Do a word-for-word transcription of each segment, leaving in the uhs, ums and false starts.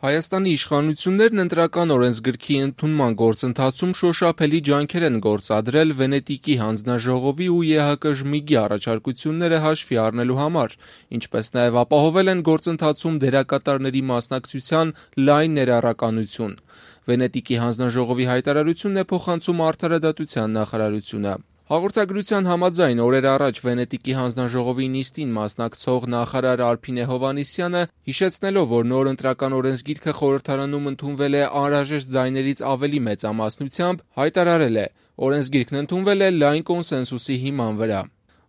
Հայաստանի իշխանություններն ընտրական օրենսգրքի ընդունման գործընթացում շոշափելի ջանքեր են գործադրել Վենետիկի հանձնաժողովի ու Է Հ Կ Ժմիգի առաջարկությունները հաշվի առնելու համար, ինչպես նաև ապահովել են գործընթացում դերակատարների մասնակցության լայն ներառականություն։ Վենետիկի հանձնաժողովի հայտարարությունն է փոխանցում Արդարադատության նախարարությունը։ Հաղորդագրության համաձայն օրեր առաջ Վենետիկի հանձնաժողովի նիստին մասնակցող նախարար Արփինե Հովհաննիսյանը, հիշեցնելով, որ նոր ընտրական օրենսգիրքը խորհրդարանում ընդունվել է անհրաժեշտ ձայներից ավելի մեծամասնությամբ, հայտարարել է. օրենսգիրքն ընդունվել է լայն կոնսենսուսի հիման վրա։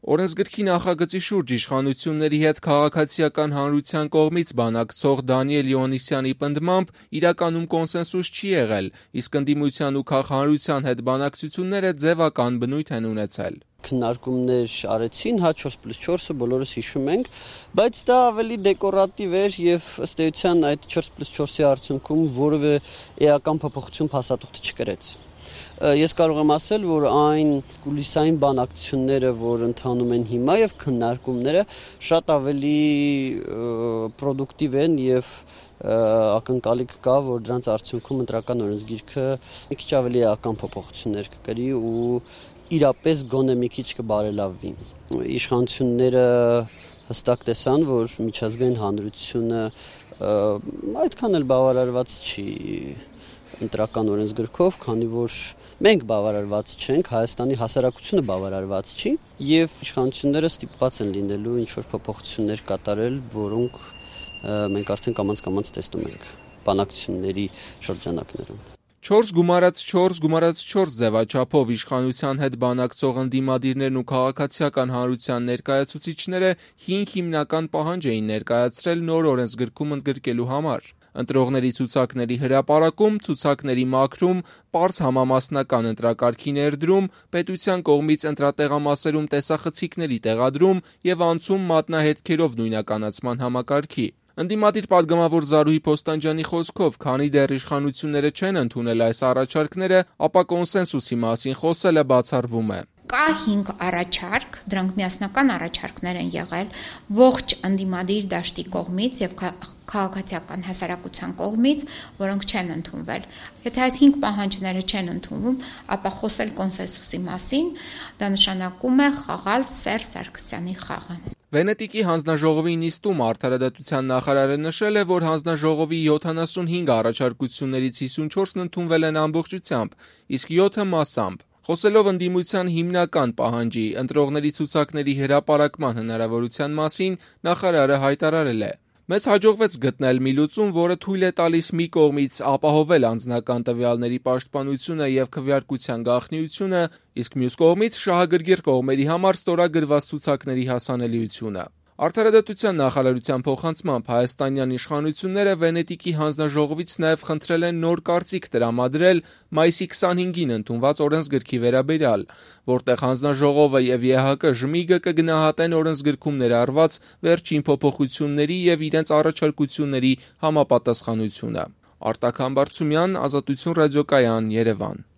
Օրենսգրքի նախագծի շուրջ իշխանությունների հետ քաղաքացիական հանրության կողմից բանակցող Դանիել Իոնիսյանի պնդմամբ իրականում կոնսենսուս չի եղել, իսկ ընդդիմության ու քաղաքհանրության հետ բանակցությունները ձևական բնույթ են ունեցել։ Քննարկումներ արեցին, հա չորս պլյուս չորսը բոլորս հիշում ենք, բայց դա ավելի դեկորատիվ էր եւ ըստ էության այդ չորս պլյուս չորսի արդյունքում որևէ էական փոփոխություն փաստաթուղթը չկրեց։ Ես կարող եմ ասել, որ այն կուլիսային բանակցությունները, որ ընթանում են հիմա եւ քննարկումները շատ ավելի պրոդուկտիվ են եւ ակնկալիք կա, որ դրանց արդյունքում ընտրական օրենսգիրքը մի քիչ ավելի էական փոփոխություններ կկրի ու իրապես գոնե մի քիչ կբարելավվի։ Իշխանությունները հստակ տեսան, որ միջազգային հանրությունը այդքան էլ բավարարված չի ընտրական օրենսգրքով, քանի որ մենք բավարարված չենք, Հայաստանի հասարակությունը բավարարված չի եւ իշխանությունները ստիպված են լինելու ինչ-որ փոփոխություններ կատարել, որոնք մենք արդեն կամաց-կամաց տեսնում ենք բանակցությունների շրջանակներում։ չորս գումարած չորս գումարած չորս ձևաչափով իշխանության հետ բանակցող ընդդիմադիրներն ու քաղաքացիական հանրության ներկայացուցիչները հինգ հիմնական պահանջ էին ներկայացրել նոր օրենսգրքում ընդգրկելու համար։ Ընտրողների ցուցակների հրապարակում, ցուցակների մաքրում, պարզ համամասնական ընտրակարգի ներդրում, պետության կողմից ընտրատեղամասերում տեսախցիկների տեղադրում եւ անցում մատնահետքերով նույնականացման համակարգի։ Ընդդիմադիր պատգամավոր Զարուհի Փոստանջյանի խոսքով, քանի դեռ իշխանությունները չեն ընդունել այս առաջարկները, ապա կոնսենսուսի մասին խոսելը բացառվում է։ Կա հինգ առաջարկ, դրանք միասնական առաջարկներ են եղել ողջ ընդդիմադիր դաշտի կողմից եւ քաղաքացիական հասարակության կողմից, որոնք չեն ընդունվել։ Եթե այս հինգ պահանջները չեն ընդունվում, ապա խոսել կոնսենսուսի մասին, դա նշանակում է խաղալ Սերժ Սարգսյանի խաղը։ Վենետիկի հանձնաժողովի նիստում Արդարադատության նախարարը նշել է, որ հանձնաժողովի յոթանասունհինգ առաջարկություններից հիսունչորսն ընդունվել են ամբողջությամբ, իսկ յոթը մասամբ։ Խոսելով ընդդիմության հիմնական պահանջի ընտրողների ցուցակների հրապարակման հնարավորության մասին, նախարարը հայտարարել է. Մեզ հաջողվեց գտնել մի լուծում, որը թույլ է տալիս մի կողմից ապահովել անձնական տվյալների պաշտպանությունը եւ քվեարկության գաղտնիությունը, իսկ մյուս կողմից շահագրգիռ կողմերի համար ստորագրված ցուցակների հասանելիությունը։ Արդարադատության նախարարության փոխանցմամբ հայաստանյան իշխանությունները Վենետիկի հանձնաժողովից նաև խնդրել են նոր կարծիք տրամադրել մայիսի քսանհինգին ընդունված օրենսգրքի վերաբերյալ, որտեղ հանձնաժողովը եւ Է Հ Կ Ժմիգը կգնահատեն օրենսգրքում ներառված վերջին փոփոխությունների եւ իրենց առաջարկությունների համապատասխանությունը։ Արտակ Համբարձումյան, Ազատություն ռադիոկայան, Երևան։